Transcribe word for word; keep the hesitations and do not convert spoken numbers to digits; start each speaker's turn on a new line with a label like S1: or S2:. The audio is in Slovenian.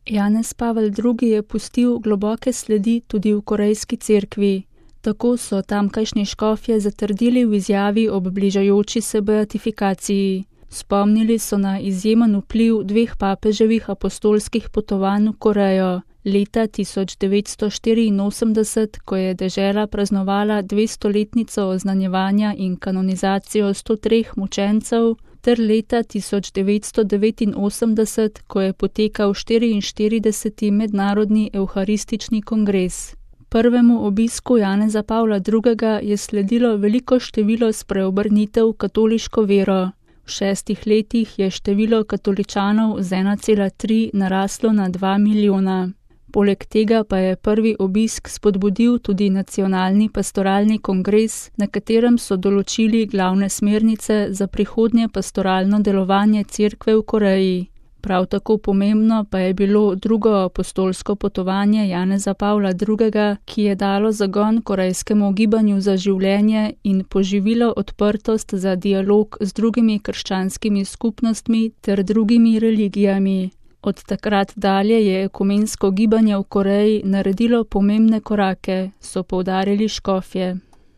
S1: Janez Pavel drugi je pustil globoke sledi tudi v korejski cerkvi. Tako so tamkajšnji škofje zatrdili v izjavi ob bližajoči se beatifikaciji. Spomnili so na izjemen vpliv dveh papeževih apostolskih potovanj v Korejo. Leta tisoč devetsto štiriinosemdeset, ko je dežela praznovala dvestoletnico oznanjevanja in kanonizacijo sto treh mučencev, ter leta tisoč devetsto devetinosemdeset, ko je potekal štiriinštirideseti mednarodni evharistični kongres. Prvemu obisku Janeza Pavla drugega je sledilo veliko število spreobrnitev v katoliško vero. V šestih letih je število katoličanov z ena cela tri naraslo na dva milijona. Poleg tega pa je prvi obisk spodbudil tudi nacionalni pastoralni kongres, na katerem so določili glavne smernice za prihodnje pastoralno delovanje cerkve v Koreji. Prav tako pomembno pa je bilo drugo apostolsko potovanje Janeza Pavla drugega, ki je dalo zagon korejskemu gibanju za življenje in poživilo odprtost za dialog z drugimi krščanskimi skupnostmi ter drugimi religijami. Od takrat dalje je ekumensko gibanje v Koreji naredilo pomembne korake, so poudarili škofje.